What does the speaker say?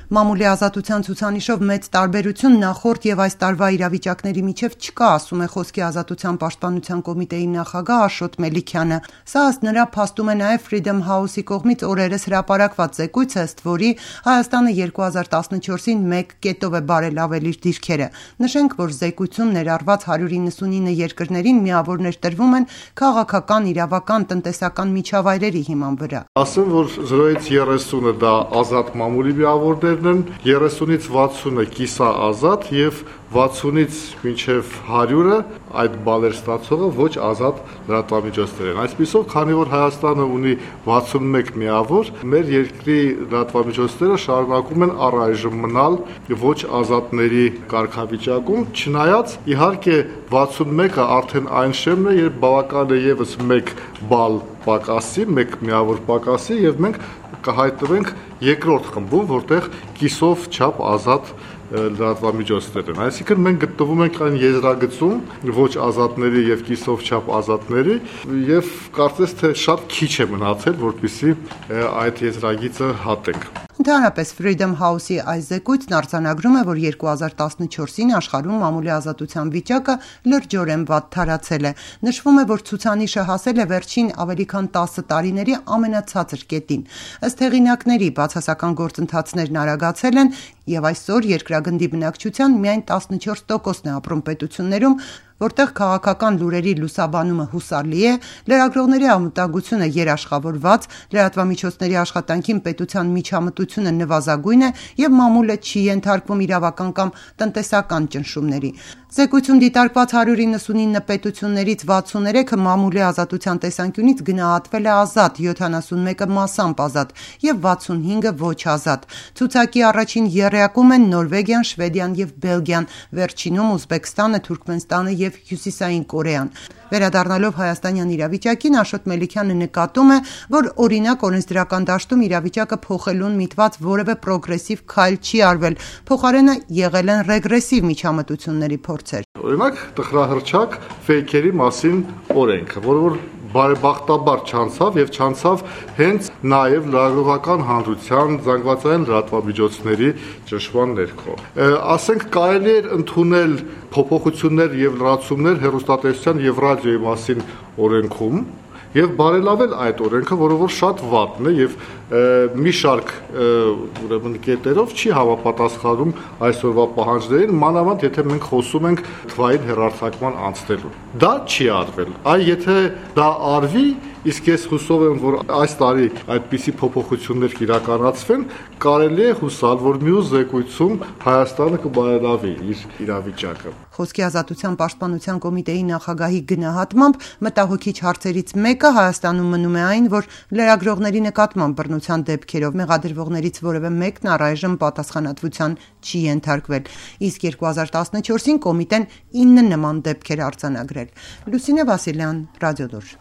Մամուլի ազատության ցուցանիշով մեծ տարբերություն նախորդ եւ այս տարվա իրավիճակների միջև չկա, ասում է Խոսքի ազատության պաշտպանության կոմիտեի նախագահ Աշոտ Մելիքյանը։ Սա ըստ նրա փաստում է նաեւ Freedom House-ի կողմից օրերս հրապարակված զեկույցը, ըստ որի Հայաստանը 2014-ին 1 կետով է բարելավել իր դիրքերը։ Նշենք, որ զեկույցում ներառված 199 երկրներին միավորներ տրվում են քաղաքական, իրավական, տնտեսական միջավայրերի հիման վրա։ Ասեմ, որ 0-ից 30-ը դա ազատ մամուլի միավորներն են, 30-ից 60-ը կիսաազատ եւ 60-ից մինչև 100-ը այդ բալեր ստացողը ոչ ազատ լրատվամիջոցներ են։ Այսպիսով, քանի որ Հայաստանը ունի 61 միավոր, մեր երկրի լրատվամիջոցները շարունակում են առայժմ մնալ ոչ ազատների կարգավիճակում, չնայած իհարկե 61-ը արդեն այն շեմն է, երբ բավական է եւս 1 բալ պակասի, 1 միավոր պակասի եւ մենք կհայտնվենք երկրորդ խմբում, որտեղ կիսով չափ ազատ լրատվամիջոցներ են։ Այսինքն մենք գտնվում ենք այն եզրագծում ոչ ազատների եւ կիսով չափ ազատների եւ կարծես թե շատ քիչ է մնացել, որպեսզի այդ եզրագիծը հատենք։ Ընդհանրապես Freedom House-ի այս զեկույցն արձանագրում է, որ 2014-ին աշխարհում մամուլի ազատության վիճակը լրջորեն վատ թարացել է։ Նշվում է, որ ցուցանիշը հասել է վերջին ավելի քան 10 տարիների ամենացածր կետին։ Ըստ հեղինակների, բացասական գործընթացներն արագացել են եւ այսօր երկրագնդի բնակչության միայն 14%-ն է ապրում պետություններում, որտեղ քաղաքական լուրերի լուսաբանումը հուսալի է, լրագրողների անվտանգությունը երաշխավորված, լրատվամիջոցների աշխատանքին պետության միջամտությունը նվազագույն է եւ մամուլը չի ենթարկվում իրավական կամ տնտեսական ճնշումների։ Զեկույցում դիտարկված 199 պետություններից 63-ը մամուլի ազատության տեսանկյունից գնահատվել է ազատ, 71-ը մասամբ ազատ եւ 65-ը ոչ ազատ։ Ցուցակի առաջին եռյակում են Նորվեգիան, Շվեդիան եւ Բելգիան, վերջինում Ուզբեկստանը, Թուրքմենստանը եւ Հյուսիսային Կորեան։ Վերադառնալով հայաստանյան իրավիճակին, Աշոտ Մելիքյանը նկատում է, որ օրինակ օրենսդրական դաշտում իրավիճակը փոխելուն միտված որևէ պրոգրեսիվ քայլ չի արվել, փոխարենը եղել են ռեգրեսիվ միջամտությունների փորձեր։ Օրինակ տխրահռչակ ֆեյքերի մասին օրենքը, որը բարեբախտաբար չանցավ եւ չանցավ հենց նաեւ լրագրողական հանրության զանգվածային լրատվամիջոցների ճնշման ներքո։ Ասենք կարելի էր ընդունել փոփոխություններ եւ լրացումներ հեռուստատեսության եւ ռադիոյի մասին օրենքում եւ բարելավել այդ օրենքը, որը որ շատ վատն է եւ մի շարք ուրեմն կետերով չի համապատասխանում այսօրվա պահանջներին, մանավանդ եթե մենք խոսում ենք թվային հեռարձակման անցնելու։ Դա չի արվել։ Այ եթե դա արվի, իսկ ես հուսով եմ, որ այս տարի այդպիսի փոփոխություններ կիրականացվեն, կարելի է հուսալ, որ մյուս զեկույցում Հայաստանը կբարելավի իր իրավիճակը։ Խոսքի ազատության պաշտպանության կոմիտեի նախագահի գնահատմամբ մտահոգիչ հարցերից մեկը Հայաստանում մնում է այն, որ լրագրողների նկատմամբ բռնության դեպքերով մեղադրվողներից որևէ մեկն առայժմ պատասխանատվության չի ենթարկվել, իսկ 2014-ին կոմիտեն 9 նման դեպքեր արձանագրել։ Լուսինե Վասիլյան, Ռադիոդոր։